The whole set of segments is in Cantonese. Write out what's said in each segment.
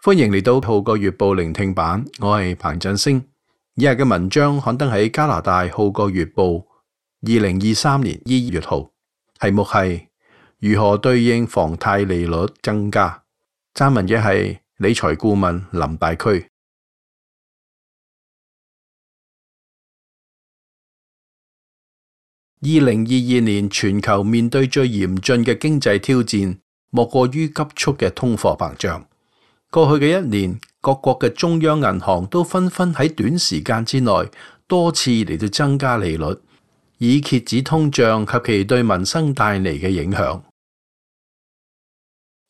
歡迎嚟到《號角月報》聆聽版，我係彭振星。以下嘅文章刊登喺加拿大《號角月報》2023年2月號，題目係如何對應房貸利率增加。撰文嘅係理財顧問林大區。2022年全球面對最嚴峻嘅經濟挑戰，莫過於急速嘅通貨膨脹。過去嘅一年，各國嘅中央銀行都紛紛喺短時間之內多次嚟到增加利率，以遏止通脹及其對民生帶嚟嘅影響。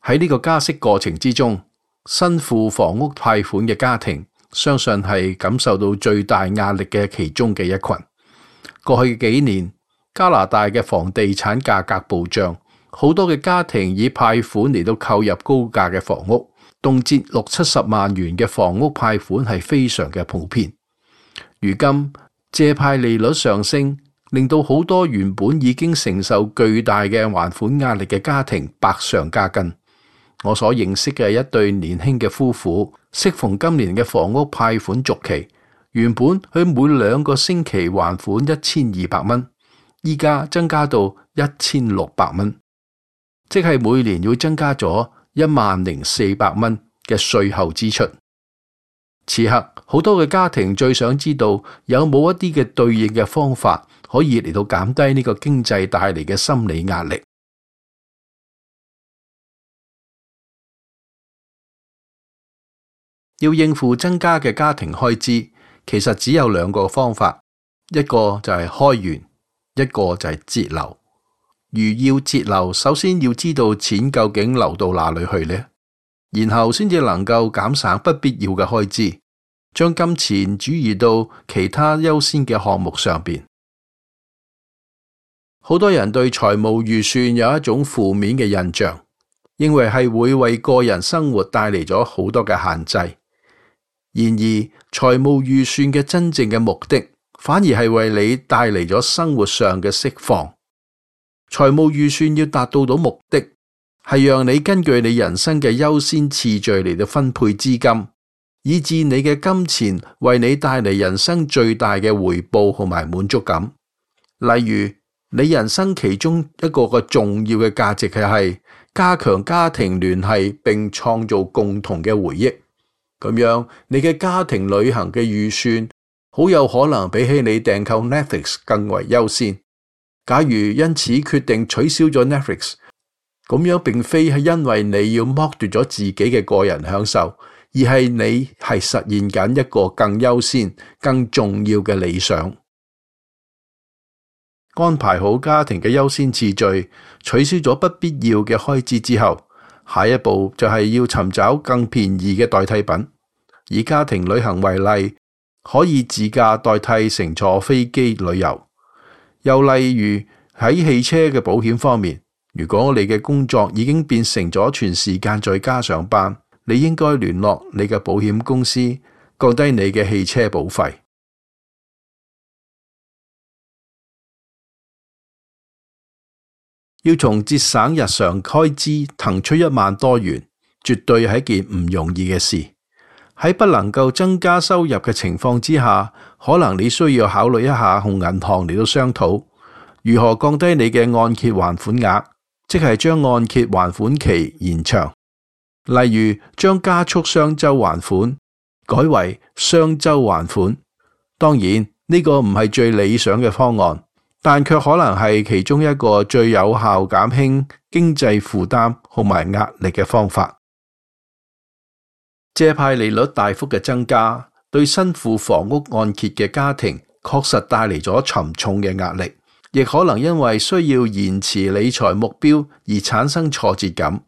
喺呢個加息過程之中，身負房屋貸款嘅家庭，相信係感受到最大壓力嘅其中嘅一群。過去幾年，加拿大嘅房地產價格暴漲，好多嘅家庭以貸款嚟到購入高價嘅房屋，動輒60-70萬元嘅房屋貸款係非常嘅普遍。如今借貸利率上升，令到好多原本已經承受巨大嘅還款壓力嘅家庭百上加斤。我所認識嘅一對年輕嘅夫婦，適逢今年嘅房屋貸款續期，原本佢每2個星期還款1200蚊，依家增加到1600蚊，即係每年要增加咗10400蚊嘅稅後支出。此刻好多嘅家庭最想知道有冇一啲嘅對應嘅方法可以嚟到減低呢個經濟帶嚟嘅心理壓力。要應付增加嘅家庭開支，其實只有2個方法，一個就係開源，一個就係節流。如要節流，首先要知道錢究竟流到哪裏去呢？然後先至能夠減省不必要嘅開支，將金錢轉移到其他優先嘅項目上邊。好多人對財務預算有一種負面嘅印象，認為係會為個人生活帶嚟咗好多嘅限制。然而，財務預算嘅真正嘅目的，反而係為你帶嚟咗生活上嘅釋放。財務預算要達到目的，係讓你根據你人生嘅優先次序嚟到分配資金，以致你嘅金錢為你帶嚟人生最大嘅回報同埋滿足感。例如，你人生其中一個重要嘅價值係加強家庭聯繫並創造共同嘅回憶。咁樣，你嘅家庭旅行嘅預算好有可能比起你訂購 Netflix 更為優先。假如因此決定取消咗 Netflix， 咁樣並非係因為你要剝奪咗自己嘅個人享受，而係你係實現緊一個更優先、更重要嘅理想。安排好家庭嘅優先次序，取消咗不必要嘅開支之後，下一步就係要尋找更便宜嘅代替品。以家庭旅行為例，可以自駕代替乘坐飛機旅遊。又例如喺汽車嘅保險方面，如果你嘅工作已經變成咗全時間在家上班，你應該聯絡你嘅保險公司，降低你嘅汽車保費。要從節省日常開支騰出1萬多元，絕對係一件唔容易嘅事。喺不能夠增加收入嘅情況之下，可能你需要考慮一下同銀行嚟到商討，如何降低你嘅按揭還款額，即係將按揭還款期延長。例如將加速雙周還款改為雙周還款。當然呢個唔係最理想嘅方案，但卻可能係其中一個最有效減輕經濟負擔同埋壓力嘅方法。借貸利率大幅嘅增加，對身負房屋按揭嘅家庭確實帶嚟咗沉重嘅壓力，亦可能因為需要延遲理財目標而產生挫折感。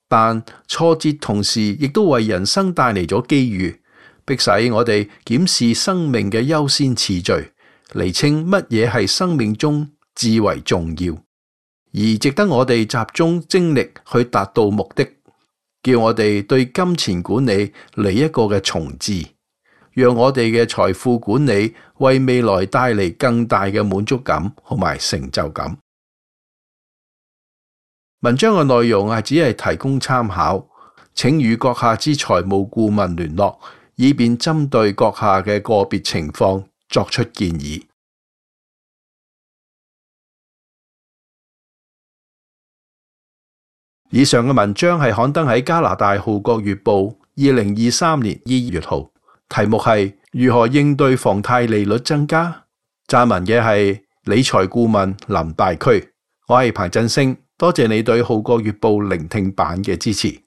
但挫折同時亦都為人生帶嚟咗機遇，迫使我哋檢視生命嘅優先次序，釐清乜嘢係生命中至為重要，而值得我哋集中精力去達到目的。叫我哋對金錢管理嚟一個嘅重置，讓我哋嘅財富管理為未來帶嚟更大嘅滿足感同埋成就感。文章嘅內容只係提供參考，請與閣下之財務顧問聯絡，以便針對閣下嘅個別情況作出建議。以上嘅文章係刊登喺加拿大《號角月報》2023年2月號，題目係如何應對房貸利率增加。撰文嘅係理財顧問林大區，我係彭振聲，多謝你對《號角月報》聆聽版嘅支持。